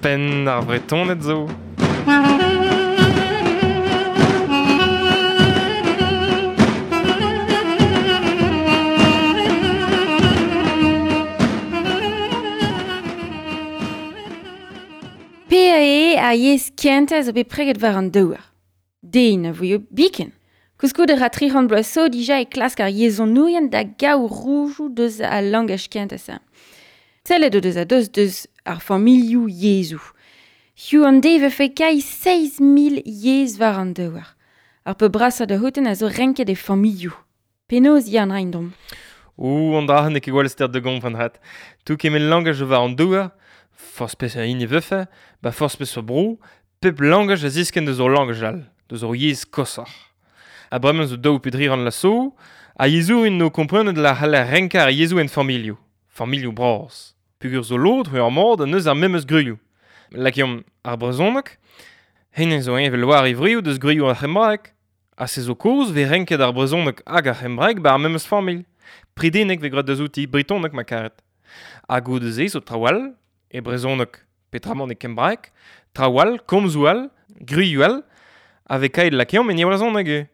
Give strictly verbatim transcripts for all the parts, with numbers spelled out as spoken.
Penn ar Vretoned zo. P A E a yezh kentañ zo bet preget war an douar. Den a voio biken. Koulskoude ra tri c'hant bloaz zo dija e klask ar yezhonourien da gaout roudoù deus al langaj kentañ-se. Sellet o deus a deus deus ar familhoù yezhoù. Hiziv an deiz vefe kai seizh mil yezh war an douar. Ar pep brasañ da c'houtenn a zo renket e familhoù. Penaos ya an raint domp? Ouh, an dra n'eo ket gwall ster da gompren hat. Tout kement langaj war an douar, forzh peseurt hini vefe, ba forzh peseurt bro, pep langaj a ziskenn deus ur langaj all, deus ur yezh koshoc'h. Ha bremañ zo daou pe dri ran laso, ha yezhourien no komprenet la c'haller renkañ ar yezhoù en familhoù, familhoù bras. Peogwir zo lod ur mod ha neus ar memes gwrioù. Lakaomp ar brezhoneg, hennezh zo evel war e wrioù deus gwrioù ar c'hembraeg. Ha se zo kozh vez renket ar brezhoneg hag ar c'hembraeg ba ar memes familh. Predeneg vez graet deus outi, bretoneg ma karet. Ha goude-se zo traoù all, e brezhoneg petramant e kembraeg, traoù all, komzoù all, gwrioù all, a vez kaet lakaomp en brezhoneg eo.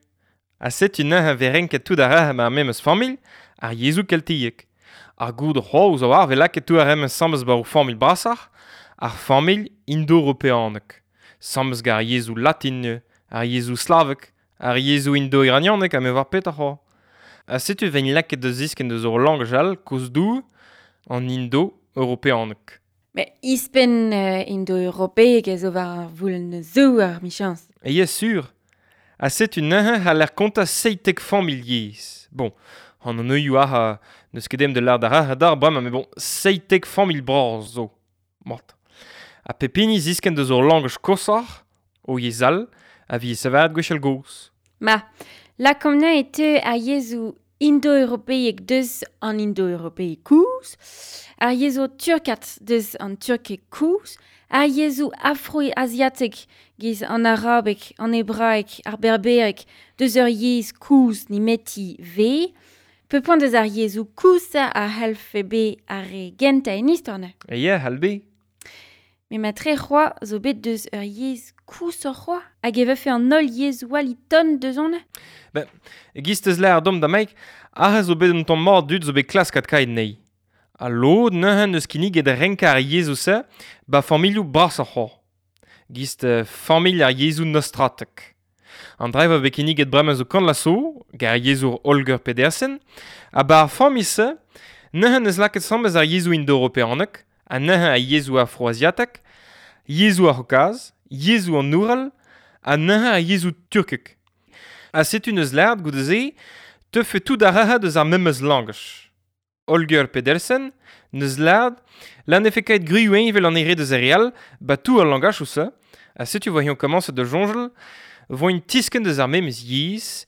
Ha setu neuze vez renket tout ar re ar memes familh, ar yezhoù keltiek. Ar goud c'hoazh zo war vez lakaet tout ar re asambles ba ur familh brasoc'h, ar familh indo-europeanek. Asambles gant ar yezhoù latin, ar yezhoù slavek, ar yezhoù indo-iranianek ha me war petra c'hoazh. Ha setu vez lakaet da ziskenn deus ur langaj all kozh-dour an indo-europeanek. Mais ispenn euh, indo-europeek a zo war ar voulenn zo ar michañs. E yes, sur. Ha setu neuze c'haller kontañ seitek familh yezh. Bon, an an neuioù ar n'eus ket dem de lâr d'ar ar d'ar bremañ, mais bon, seitek familh bras zo. Mat. Ha pep hini ziskenn deus ur langaj koshoc'h, o yezh all, a vi savet gwechall gozh. Ma, lakaomp neuze e teu ar yezhoù indo-europeek deus an indo-europeek koulz, ar yezhoù turkat deus an turkeg koulz, ar yezhoù afro-aziatek giz an arabeg, an hebraeg, ar berbereg deus ur yezh koulz nemeti ve. Pe poent deus ar yezhoù koulz a c'hellfe bet ar re gentañ en istor neuze. E ya, c'hall bet. Mais ma tre c'hoazh zo bet deus ur yezh koulzoc'h c'hoazh hag e vefe an holl yezhoù all e-ton deus on? Ben, e-giz teus lâret domp da Mike, aze zo bet un tamm mat dud zo bet klaskat kaet anezhi. Ha lod neuze n'eus kinniget renkañ ar yezhoù-se ba familhoù brasoc'h c'hoazh. Giz familh ar yezhoù nostratek. An dra e vo bet kinniget bremañ zo kant laso, gant ar yezhour Holger Pedersen, ha ba ar familh-se, neuze n'eus lakaet asambles ar yezhoù indo-europeanek, ha neuze ar yezhoù afro-aziatek, yezhoù ar C'haokaz, yezhoù an Oural, ha neuze ar yezhoù turkek. Ha setu n'eus lâret goude-se, teufe tout ar re deus ar memes langaj. Holger Pedersen n'eus lâret la ne fe kaet gwrioù evel an ere deus ar re all, ba tout ar langaj-se, ha setu vo komañset da soñjal, vo int tiskenn deus ar memes yezh,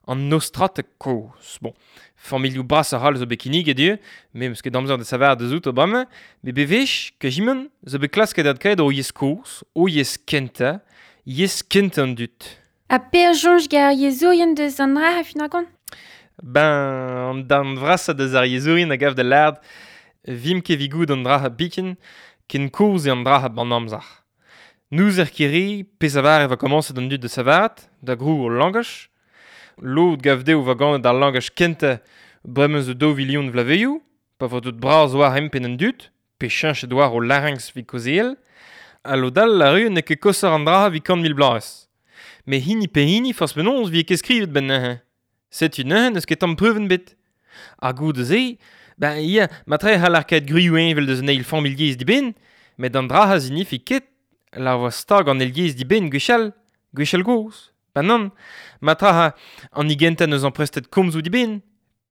an nostratek kozh. Bon, familhoù bras ar all zo bet kinniget eo, me 'meus ket amzer da savar deus out bremañ, met bewech, kajimon, zo bet klasket adkaet o yezh kozh, o yezh kentañ, yezh kentañ an dud. Ha per soñj gant ar yezhourien deus an dra a fin ar gont? Ben, an darn vrasañ deus ar yezhourien a gav da lâret vimp ket evit goût an dra biken, ken kozh eo an dra ban amzer. N'ouzer ket re pezh a var e va komañset an dud da savaat, da grou ul langaj. Lod gav dezho va ganet ar langaj kentañ bremañ zo daou vilion vloavezhioù, pa vo deut bras war empenn an dud, pe cheñchet war o larynx evit kaozeal, ha lod all a ru n'eo ket koshoc'h an dra evit kant mil bloaz. Met hini pe hini forzh penaos vi ket skrivet benn neuze. Setu neuze n'eus ket tamm preuvenn bet. Ha goude-se, ben ya, matre c'haller kaet gwrioù evel deus an eil familh yezh dibenn, met an dra a zinifi ket la vo stag an eil yezh dibenn gwechall, gwechall gozh. Ben nann, matre ha an igentañ neus amprestet komzoù dibenn,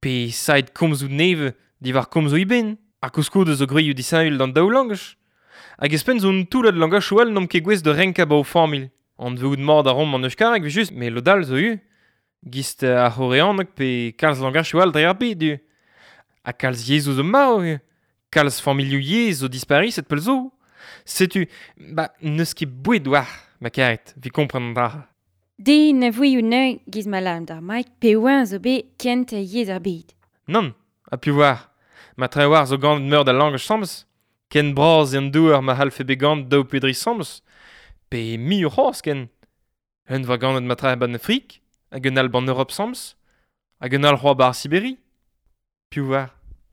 pe saet komzoù nevez diwar komzoù iben, ha koulskoude zo gwrioù disheñvel d'an daou langaj. Hag espenn zo un toullad langajoù all n'omp ket gouest da renkañ ba o familh. An veout mat a romp an euskareg just, met lod all zo eo. Gist ar c'horeaneg pe kalz langajoù all dre ar bed eo. Ha kalz yezhoù zo marv eo. Kalz familhoù yezh zo dispariset pell zo. Setu, ba n'eus ket boued war, ma karet, evit kompren an dra. Den na voioù neuze giz ma lâromp d'ar Mike pe oa zo bet kent yezh ar bed. Nann, ha piv war. Ma tre war zo ganet meur da langaj asambles. Ken bras eo an douar ma c'hallfe bet ganet daou pe dri asambles, pe muioc'h c'hoazh ken. Un va ganet matra ban Afrik, hag un all ban Europe asambles, hag un all c'hoazh bar Siberi. Piv 'oar.